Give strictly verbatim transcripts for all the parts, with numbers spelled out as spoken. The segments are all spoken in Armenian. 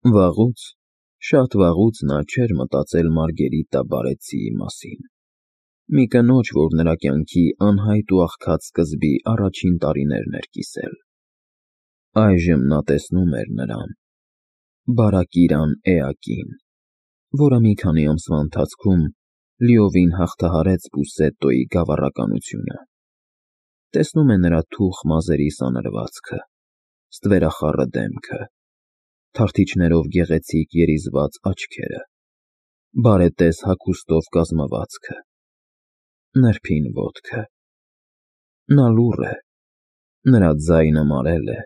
Վաղուց, շատ վաղուց նա չէր մտածել Մարգերիտտա Բարեցիի մասին, մի կնոջ, որ նրա կյանքի անհայտ ու աղքատ սկզբի առաջին տարիներն էր կիսել. այժմ նա տեսնում էր նրան, Բարակիրան Էակին, որը մի քանի ամսվա ընթացքում լիովին հաղթահարեց Պուսետտոյի գավառականությունը, տեսնում է նրա թուխ մազերի սանրվածքը, ստվերախառը դեմքը, թարթիչներով գեղեցիկ երիզված աչքերը, բարետես հագուստով կազմվածքը, նրբին ոտքը. նա լուռ է, նրա ձայնը մարել է,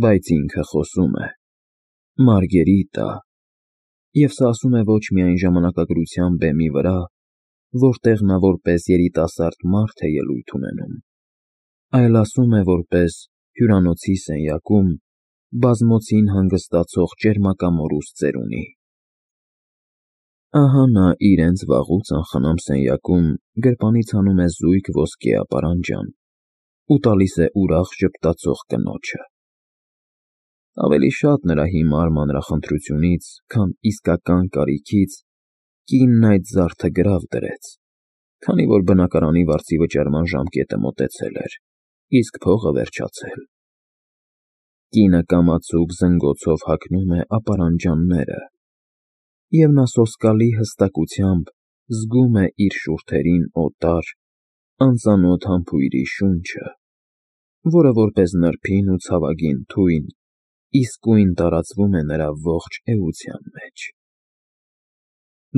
բայց ինքը խոսում է. Մարգերիտտա, և սա ասում է ոչ միայն ժամանակագրության բեմի վրա, որտեղ նա որպես երիտասարդ մարդ է ելույթ ունենում, այլ ասում է որպես հյուրանոցի սենյակում բազմոցին հանգստացող ճերմակամորուս ծերունի։ Ահա նա իրենց վաղուց անխնամ սենյակում գրպանից հանում է զույգ ոսկե ապարանջան ու տալիս է ուրախ ժպտացող կնոջը։ Ավելի շատ նրա հիմար մանրախնդրությունից, քան իսկական կարիքից, կինն այդ զարդը գրավ դրեց, քանի որ բնակարանի վարձի վճարման ժամկետը մոտեցել էր, իսկ փողը վերջացել։ Կինը կամացուկ զնգոցով հագնում է ապարանջանները, և նա սոսկալի հստակությամբ զգում է իր շուրթերին օտար, անծանոթ համբույրի շունչը, որը որպես նրբին ու ցավագին թույն իսկույն տարածվում է նրա ողջ էության մեջ։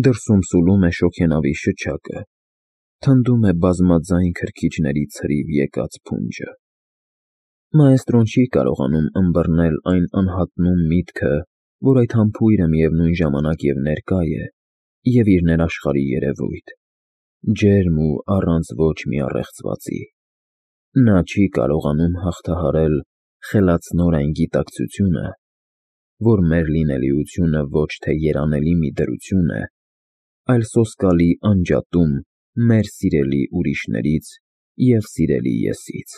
Դրսում սուլում է շոգենավի շչակը, թնդում է բազմաձայն քրքիջների ցրիվ եկած փունջը։ Մաեստրոն չի կարողանում ըմբռնել այն անհատնում միտքը, որ այդ համբույրը միևնույն ժամանակ և ներկա է, և իր ներաշխարհի երևույթ, ջերմ ու առանց ոչ մի առեղծվածի։ Նա չի կարողանում հաղթահարել խելացնոր այն գիտակցությունը, որ մեր լինելիությունը ոչ թե երանելի մի դրություն է, այլ սոսկալի անջատում մեր սիրելի ուրիշներից և սիրելի ես-ից,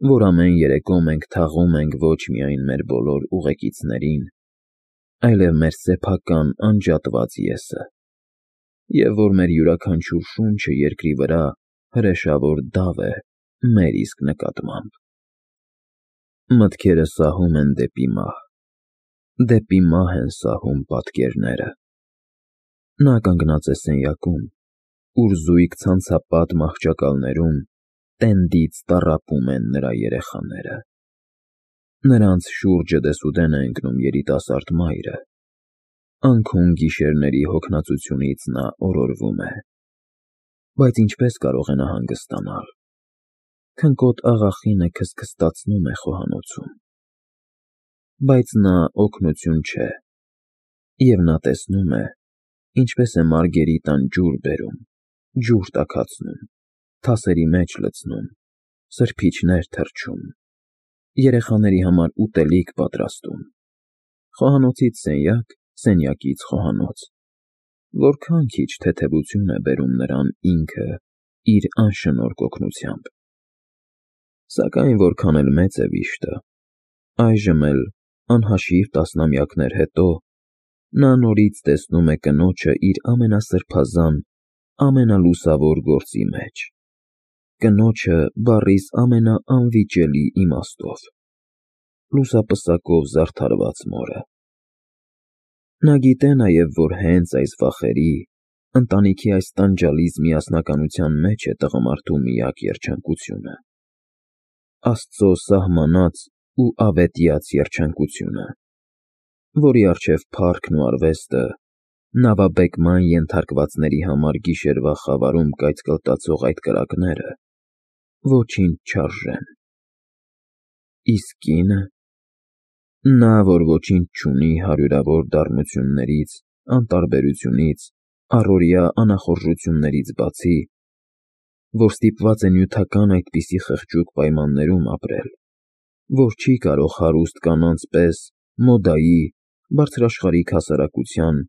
որ ամեն երեկո մենք թաղում ենք ոչ միայն մեր բոլոր ուղեկիցներին, այլև մեր սեփական անջատված ես-ը, և որ մեր յուրաքանչյուր շունչը երկրի վրա հրեշավոր դավ է մեր իսկ նկատմամբ։ Մտքերը սահում են դեպի մահ, դեպի մահ են սահում պատկերները։ Նա կանգնած է սենյակում, ուր զույգ ցանցապատ մահճակալներում տենդից տառապում են նրա երեխաները։ Նրանց շուրջը դեսուդեն է ընկնում երիտասարդ մայրը, անքուն գիշերների հոգնածությունից նա օրորվում է։ Բայց ինչպե՞ս կարող է նա հանգստանալ։ Քնկոտ աղախինը քստքստացնում է խոհանոցում։ Բայց նա օգնություն չէ, և նա տեսնում է, ինչպես է Մարգերիտտան ջուր բերում, ջուր տաքացնում, թասերի մեջ լցնում, սրբիչներ թռչում, երեխաների համար ուտելիք պատրաստում, խոհանոցից սենյակ, սենյակից խոհանոց, որքան քիչ թեթևություն է բերում նրան ինքը իր անշնորհք օգնությամբ։ Սակայն որքան էլ մեծ է վիշտը, այժմ էլ, անհաշիվ տասնամյակներ հետո, նա նորից տեսնում է կնոջը իր ամենասրբազան, ամենալուսավոր գործի մեջ, կնոջը բառիս ամենաանվիճելի իմաստով, լուսապսակով զարդարված մորը։ Նա գիտե նաև, որ հենց այս վախերի, ընտանիքի այս տանջալից միասնականության մեջ է տղամարդու միակ երջանկությունը, Աստծո սահմանած ու ավետյաց երջանկությունը, որի առջև փառքն ու արվեստը, նավաբեկման ենթարկվածների համար գիշերվա խավարում կայծկլտացող այդ կրակները ոչինչ չարժեն։ Իսկ կինը… նա, որ ոչինչ չունի հարյուրավոր դառնություններից, անտարբերությունից, առօրյա անախորժություններից բացի, որ ստիպված է նյութական այդպիսի խղճուկ պայմաններում ապրել, որ չի կարող հարուստ կանանց պես մոդայի, բարձրաշխարհիկ հասարակության,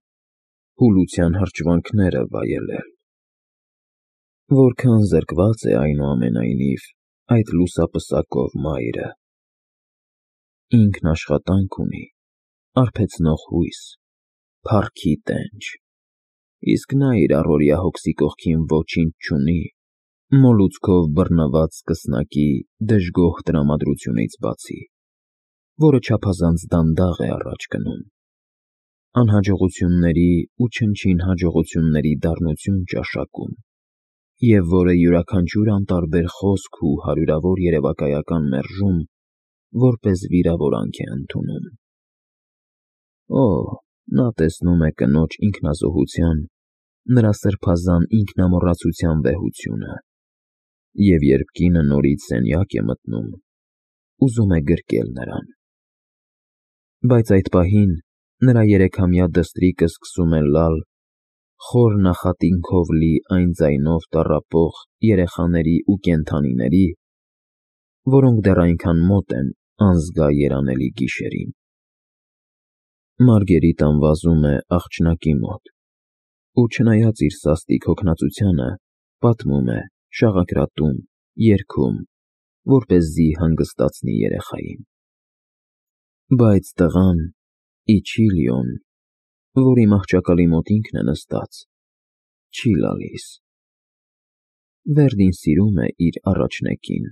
հուլության հրճվանքները վայելել… Որքան զրկված է, այնուամենայնիվ, այդ լուսապսակով մայրը։ Ինքն աշխատանք ունի, արբեցնող հույս, փառքի տենչ, իսկ նա իր առօրյա հոգսի կողքին ոչինչ չունի, մոլուցքով բռնված սկսնակի դժգոհ տրամադրությունից բացի, որը չափազանց դանդաղ է առաջ գնում, անհաջողությունների ու չնչին հաջողությունների դառնություն ճաշակում, և որը յուրաքանչյուր անտարբեր խոսք ու հարյուրավոր երևակայական մերժում որպես վիրավորանք է ընդունում։ Օ, նա տեսնում է կնոջ ինքնազոհության, նրա սրբազան ինքնամոռացության վեհությունը, և երբ կինը նորից սենյակ է մտնում, ուզում է գրկել նրան։ Բայց այդ պահին նրա երեքամյա դստրիկը սկսում է լալ խոր նախատինքով լի այն ձայնով տառապող երեխաների ու կենդանիների, որոնք դեռ այնքան մոտ են անզգա երանելի գիշերին։ Մարգերիտան վազում է աղջնակի մոտ ու, չնայած իր սաստիկ հոգնածությանը, պատմում է, շաղակրատում, երգում, որպեսզի հանգստացնի երեխային։ Բայց տղան՝ Իչիլիոն, որի մահճակալի մոտ ինքն է նստած, չի լալիս։ Վերդին սիրում է իր առաջնեկին,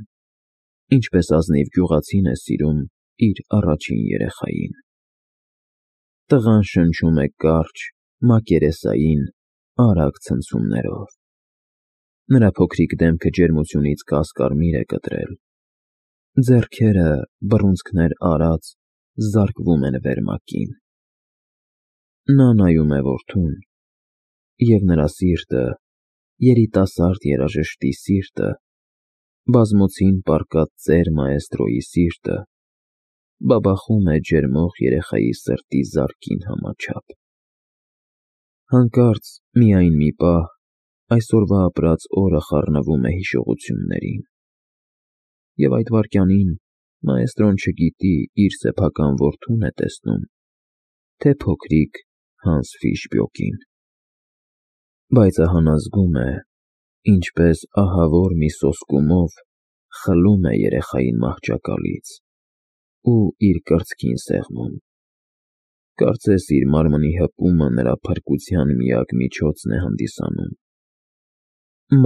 ինչպես ազնիվ գյուղացին է սիրում իր առաջին երեխային։ Տղան շնչում է կարճ, մակերեսային, արագ ցնցումներով։ Նրա փոքրիկ դեմքը ջերմությունից կասկարմիր է կտրել, ձեռքերը, բռունցքներ արած, զարկվում են վերմակին։ Նա նայում է որդուն, և նրա սիրտը, երիտասարդ երաժշտի սիրտը, բազմոցին պառկած ծեր մաեստրոյի սիրտը, բաբախում է ջերմող երեխայի սրտի զարկին համաչափ։ Հանկարծ միայն մի պահ այսօրվա ապրած օրը խառնվում է հիշողություններին, և այդ վայրկյանին մաեստրոն չգիտի իր սեփական որդուն է տեսնում, թե փոքրիկ Հանս Ֆիշբյոկին։ Բայց ահա նա զգում է, ինչպես ահավոր մի սոսկումով խլում է երեխային մահճակալից ու իր կրծքին սեղմում, կարծես իր մարմնի հպումը նրա փրկության միակ միջոցն է հանդիսանում։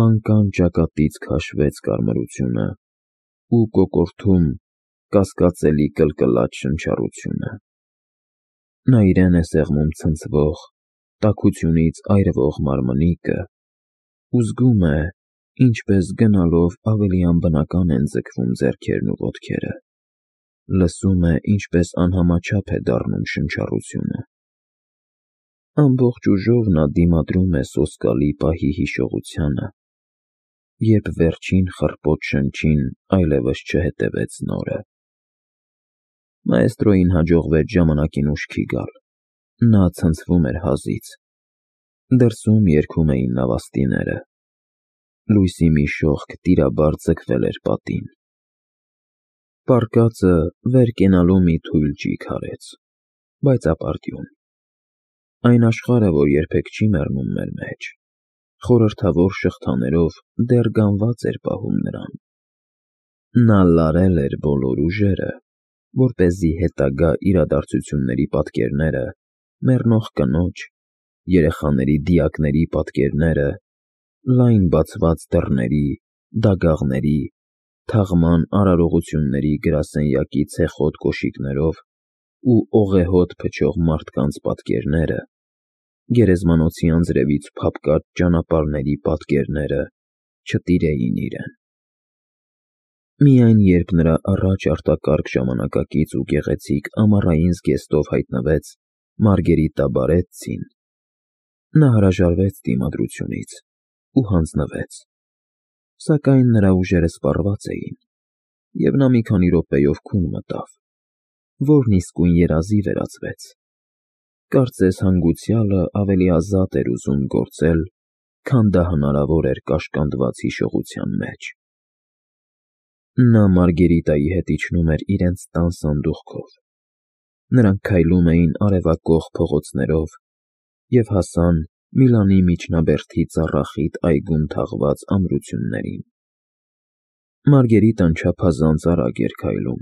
Մանկան ճակատից քաշվեց կարմրությունը ու կոկորդում կասկածելի կլկլաց շնչառությունը։ Նա իրեն է սեղմում ցնցվող, տաքությունից այրվող մարմնիկը ու զգում է, ինչպես գնալով ավելի անբնական են ձգվում ձեռքերն ու ոտքերը, լսում է, ինչպես անհամաչափ է դառնում շնչառությունը։ Ամբողջ ուժով նա դիմադրում է սոսկալի պահի հիշողությանը, երբ վերջին խռպոտ շնչին այլևս չհետևեց նորը։ Մաեստրոյին հաջողվեց ժամանակին ուշքի գալ, նա ցնցվում էր հազից։ Դրսում երգում էին նավաստիները, լույսի մի շողք տիրաբար ձգվել էր պատին։ Պառկածը վեր կենալու մի թույլ ճիգ արեց, բայց ապարդյուն։ Այն աշխարհը, որ երբեք չի մեռնում մեր մեջ, խորհրդավոր շղթաներով դեռ գանված էր պահում նրան։ Նա լարել էր բոլոր ուժերը, որպեսզի հետագա իրադարձությունների պատկերները, մեռնող կնոջ, երեխաների դիակների պատկերները, լայն բացված դռների, դագաղների, թաղման արարողությունների գրասենյակի ցեխոտ կոշիկներով ու օղեհոտ փչող մարդկանց պատկերները, գերեզմանոցի անձրևից փափկած ճանապարհների պատկերները չտիրեին իրեն։ Միայն երբ նրա առաջ արտակարգ ժամանակակից ու գեղեցիկ ամառային զգեստով հայտնվեց Մարգերիտա Բարեցին, նա հրաժարվեց դիմադրությունից ու հանձնվեց, սակայն նրա ուժերը սպառված էին, և նա մի քանի րոպեով քուն մտավ, որն իսկույն երազի վերածվեց, կարծես հանգուցյալը ավելի ազատ էր ուզում գործել, քան դա հնարավոր էր կաշկանդված հիշողության մեջ։ Նա Մարգերիտայի հետ իջնում էր իրենց տան սանդուղքով։ Նրանք քայլում էին արևակող փողոցներով և հասան Միլանի միջնաբերդի ծառախիտ այգում թաղված ամրություններին։ Մարգերիտան չափազանց արագ էր քայլում,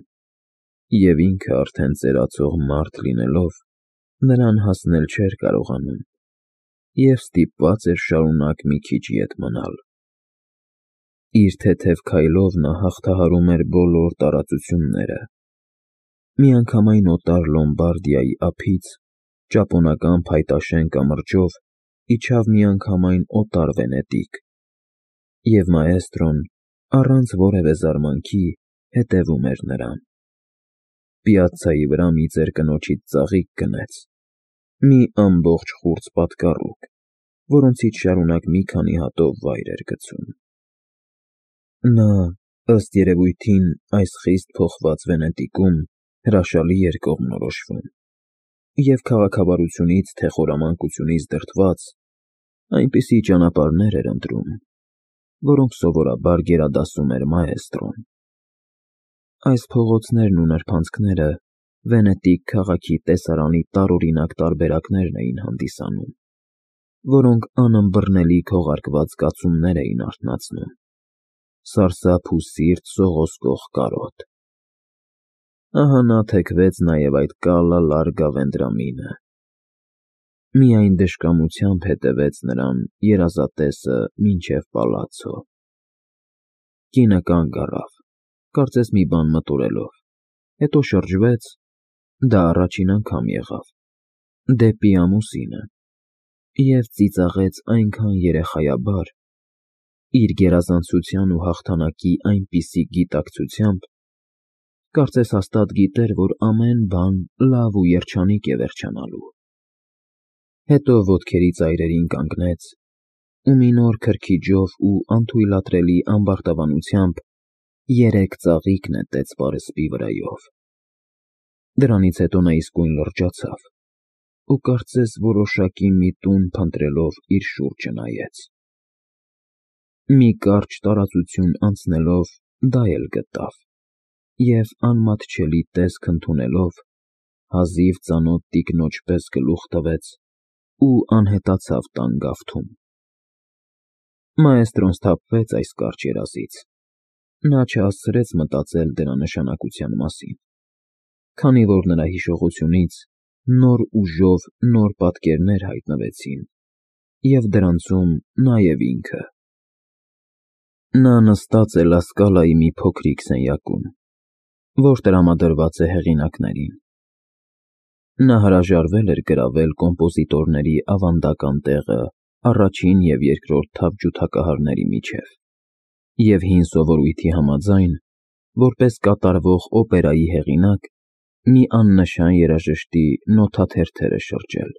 և ինքը արդեն ծերացող մարդ լինելով, նրան հասնել չէր կարողանում և ստիպված էր շարունակ մի քիչ ետ մնալ։ Իր թեթև քայլով նա հաղթահարում էր բոլոր տարածությունները։ Միանգամայն օտար Լոմբարդիայի ափից, ճապոնական փայտաշեն կամրջով իջավ միանգամայն օտար Վենետիկ, և մաէստրոն առանց որևէ զարմանքի հետևում էր նրան։ Պիացցայի վրա մի ծեր կնոջից ծաղիկ գնեց, մի ամբողջ խուրձ պատկառուկ, որոնցից շարունակ մի քանի հատով վայր էր գցում։ Նա, ըստ երևույթին, այս խիստ փոխված Վենետիկում հրաշալի էր կողմնորոշվում և քաղաքավարությունից թե խորամանկությունից դրդված այնպիսի ճանապարհներ էր ընտրում, որոնք սովորաբար գերադասում էր մաէստրոն։ Այս փողոցներն ու նրբանցքները Վենետիկ քաղաքի տեսարանի տարօրինակ տարբերակներն էին հանդիսանում, որոնք անըմբռնելի քողարկված զգացումներ էին արթնացնում, սարսափ ու սիրտ սողոսկող կարոտ։ Ահա նա թեքվեց նաև այդ կալա լարգա Վենդրամինը։ Միայն դժկամությամբ հետևեց նրան երազատեսը մինչև պալացցո։ Կինը կանգ առավ, կարծես մի բան մտորելով, հետո շրջվեց (դա առաջին անգամ եղավ) դեպի ամուսինը և ծիծաղեց այնքան երեխայաբար, իր գերազանցության ու հաղթանակի այնպիսի գիտակցությամբ, կարծես հաստատ գիտեր, որ ամեն բան լավ ու երջանիկ է վերջանալու։ Հետո ոտքերի ծայրերին կանգնեց ու մի նոր քրքիջով ու անթույլատրելի ամբարտավանությամբ երեք ծաղիկ նետեց պարսպի վրայով։ Դրանից հետո նա իսկույն լրջացավ ու կարծես որոշակի միտում փնտրելով իր շուրջը նայեց։ Մի կարճ տարածություն անցնելով դա էլ գտավ և, անմատչելի տեսք ընդունելով, հազիվ ծանոթ տիկնոջ պես գլուխ տվեց ու անհետացավ տան գավթում։ Մաէստրոն սթափվեց այս կարճ երազից։ Նա չհասցրեց մտածել դրա նշանակության մասին, քանի որ նրա հիշողությունից նոր ուժով նոր պատկերներ հայտնվեցին, և դրանցում նաև ինքը։ Նա նստած է Լա Սկալայի մի փոքրիկ սենյակում, որ տրամադրված է հեղինակներին։ Նա հրաժարվել էր գրավել կոմպոզիտորների ավանդական տեղը առաջին և երկրորդ թավ ջութակահարների միջև և հին սովորույթի համաձայն, որպես կատարվող օպերայի հեղինակ, մի աննշան երաժշտի նոթաթերթեր է շրջել։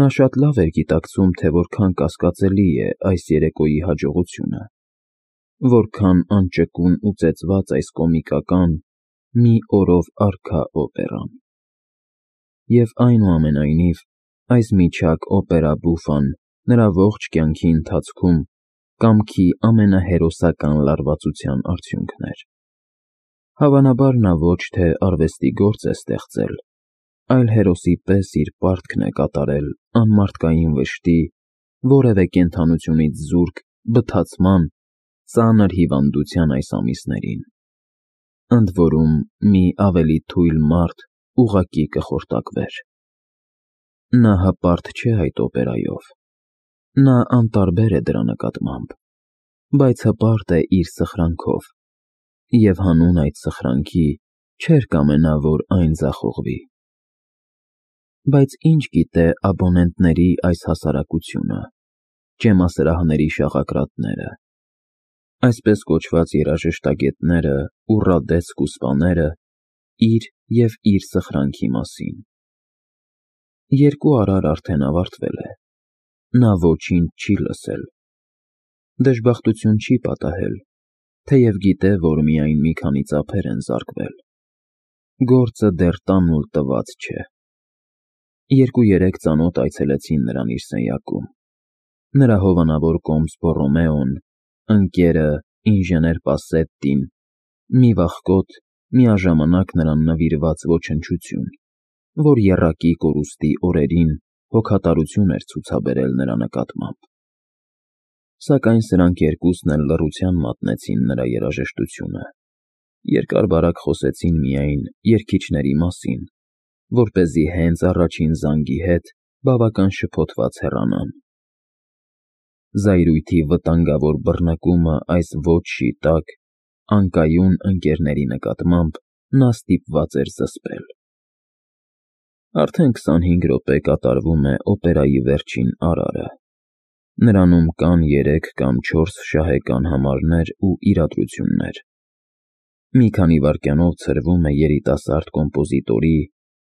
Նա շատ լավ էր գիտակցում, թե որքան կասկածելի է այս երեկոյի հաջողությունը, որքան անճկուն ու ծեծված այս կոմիկական, մի օրով առքա օպերան։ Եվ այնուամենայնիվ, այս միջակ օպերա բուֆան նրա ողջ կյանքի ընթացքում կամքի ամենահերոսական լարվածության արդյունքն էր։ Հավանաբար նա ոչ թե արվեստի գործ է ստեղծել, այլ հերոսի պես իր պարտքն է կատարել անմարդկային վշտի, որևէ կենդանությունից զուրկ բթացման, ծանր հիվանդության այս ամիսներին։ Ընդ որում, մի ավելի թույլ մարդ ուղղակի կխորտակվեր։ Նա հպարտ չէ այդ օպերայով, նա անտարբեր է դրա նկատմամբ, բայց հպարտ է իր սխրանքով, և հանուն այդ սխրանքի չէր կամենա, որ այն ձախողվի։ Բայց ինչ գիտե աբոնենտների այս հասարակությունը, ճեմասրահների շաղակրատները, այսպես կոչված երաժշտագետները ու ռադեց֊կուսպաները իր և իր սխրանքի մասին։ Երկու արար արդեն ավարտվել է, նա ոչինչ չի լսել, դժբախտություն չի պատահել, թեև գիտե, որ միայն մի քանի ծափեր են զարկվել։ Գործը դեռ տանուլ տված չէ։ Երկու֊երեք ծանոթ այցելեցին նրան իր սենյակում. նրա հովանավոր կոմս Բոռոմեոն, ընկերը ինժեներ Պասետտին, մի վախկոտ, միաժամանակ նրան նվիրված ոչնչություն, որ եռակի կորուստի օրերին հոգատարություն էր ցուցաբերել նրա նկատմամբ։ Սակայն սրանք երկուսն էլ լռության մատնեցին նրա երաժշտությունը, երկար֊բարակ խոսեցին միայն երգիչների մասին, որպեսզի հենց առաջին զանգի հետ բավական շփոթված հեռանան։ Զայրույթի վտանգավոր բռնկումը այս ոճի տակ, անկայուն ընկերների նկատմամբ նա ստիպված էր զսպել։ Արդեն քսանհինգ րոպե կատարվում է օպերայի վերջին արարը։ Նրանում կան երեք կամ չորս շահեկան համարներ ու իրադրություններ։ Մի քանի վայրկյանով ցրվում է երիտասարդ կոմպոզիտորի,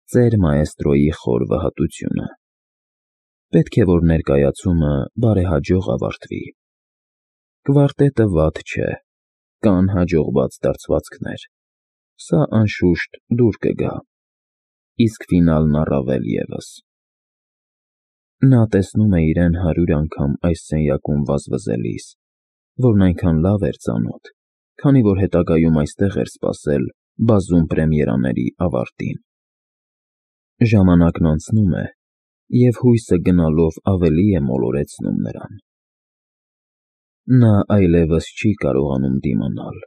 ծեր մաեստրոյի խոր վհատությունը։ Պետք է, որ ներկայացումը բարեհաջող ավարտվի։ Կվարտետը վատ չէ, կան հաջողված դարձվածքներ, սա անշուշտ դուր կգա, իսկ ֆինալն առավել ևս։ Նա տեսնում է իրեն հարյուր անգամ այս սենյակում վազվզելիս, որն այնքան լավ էր ծանոթ, քանի որ հետագայում այստեղ էր սպասել բազում պրեմիերաների ավարտին։ Ժամանակն անցնում է, և հույսը գնալով ավելի է մոլորեցնում նրան։ Նա այլևս չի կարողանում դիմանալ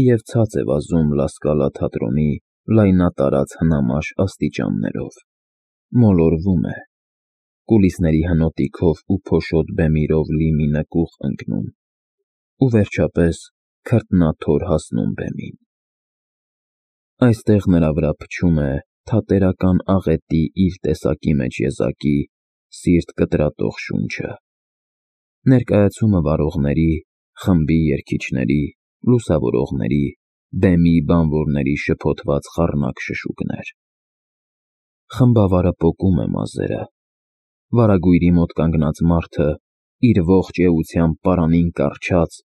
և ցած է վազում Լա Սկալա թատրոնի լայնատարած հնամաշ աստիճաններով, մոլորվում է, կուլիսների հնոտիքով ու փոշոտ բեմիրով լի մի նկուղ ընկնում ու վերջապես քրտնաթոր հասնում բեմին։ Այստեղ նրա վրա փչում է թատերական աղետի իր տեսակի մեջ եզակի, սիրտ կտրատող շունչը։ Ներկայացումը վարողների, խմբի երգիչների, լուսավորողների, բեմի բանվորների շփոթված խառնակ շշուկներ։ Խմբավարը պոկում է մազերը։ Վարագույրի մոտ կանգնած մարդը, իր ողջ էությամբ պարանին կառչած,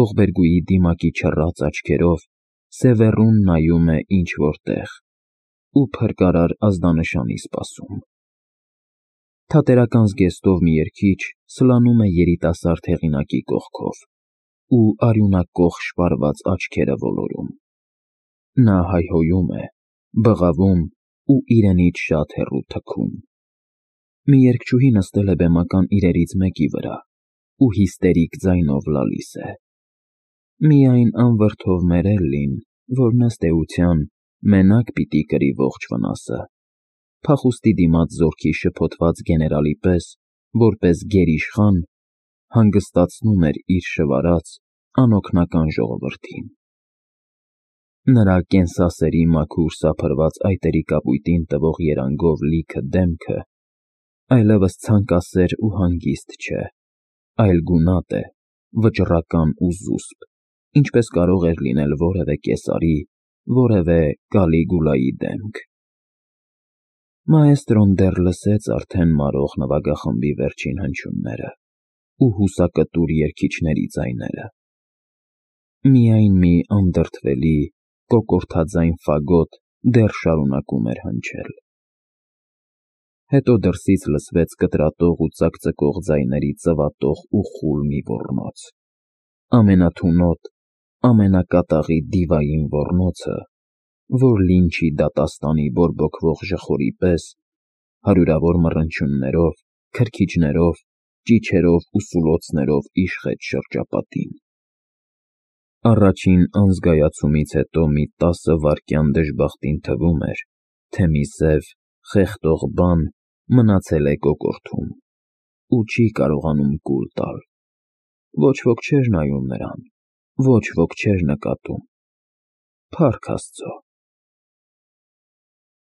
ողբերգուի դիմակի չռած աչքերով սևեռուն նայում է ինչ֊որ տեղ ու փրկարար ազդանշանի սպասում։ Թատերական զգեստով մի երգիչ սլանում է երիտասարդ հեղինակի կողքով ու արյունակոխ շպարված աչքերը ոլորում։ Նա հայհոյում է, բղավում ու իրենից շատ հեռու թքում։ Մի երգչուհի նստել է բեմական իրերից մեկի վրա ու հիստերիկ ձայնով լալիս է։ Միայն անվրդով Մերելլին, որն ըստ էության մենակ պիտի կրի ողջ վնասը, փախուստի դիմաց զորքի շփոթված գեներալի պես, որպես գերիշխան, հանգստացնում էր իր շվարած, անօգնական ժողովրդին։ Նրա կենսասերի մաքուր սափրված այտերի կապույտին տվող երանգով լիքը դեմքը այլևս ցանկասեր ու հանգիստ չէ, այլ գունատ է, վճռական ու զուսպ, ինչպես կարող էր լինել որևէ կեսարի, որևէ Կալիգուլայի դեմք։ Մաեստրոն դեռ լսեց արդեն մարող նվագախմբի վերջին հնչյունները ու հուսակտուր երգիչների ձայները։ Միայն մի անդրդվելի, կոկորդաձայն ֆագոտ դեռ շարունակում էր հնչել։ Հետո դրսից լսվեց կտրատող ու ծակծկող ձայների ծվատող ու խուլ մի ոռնոց, ամենաթունոտ, ամենակատաղի դիվային ոռնոցը, որ լինչի դատաստանի բորբոքվող ժխորի պես, հարյուրավոր մռնչյուններով, քրքիջներով, ճիչերով ու սուլոցներով իշխեց շրջապատին։ Առաջին անզգայացումից հետո մի տասը վայրկյան դժբախտին թվում էր, թե մի սև, խեղդող բան մնացել է կոկորդում ու չի կարողանում կուլ տալ։ Ոչ ոք չէր նայում նրան, ոչ ոք չէր նկատում։ Փառք Աստծո։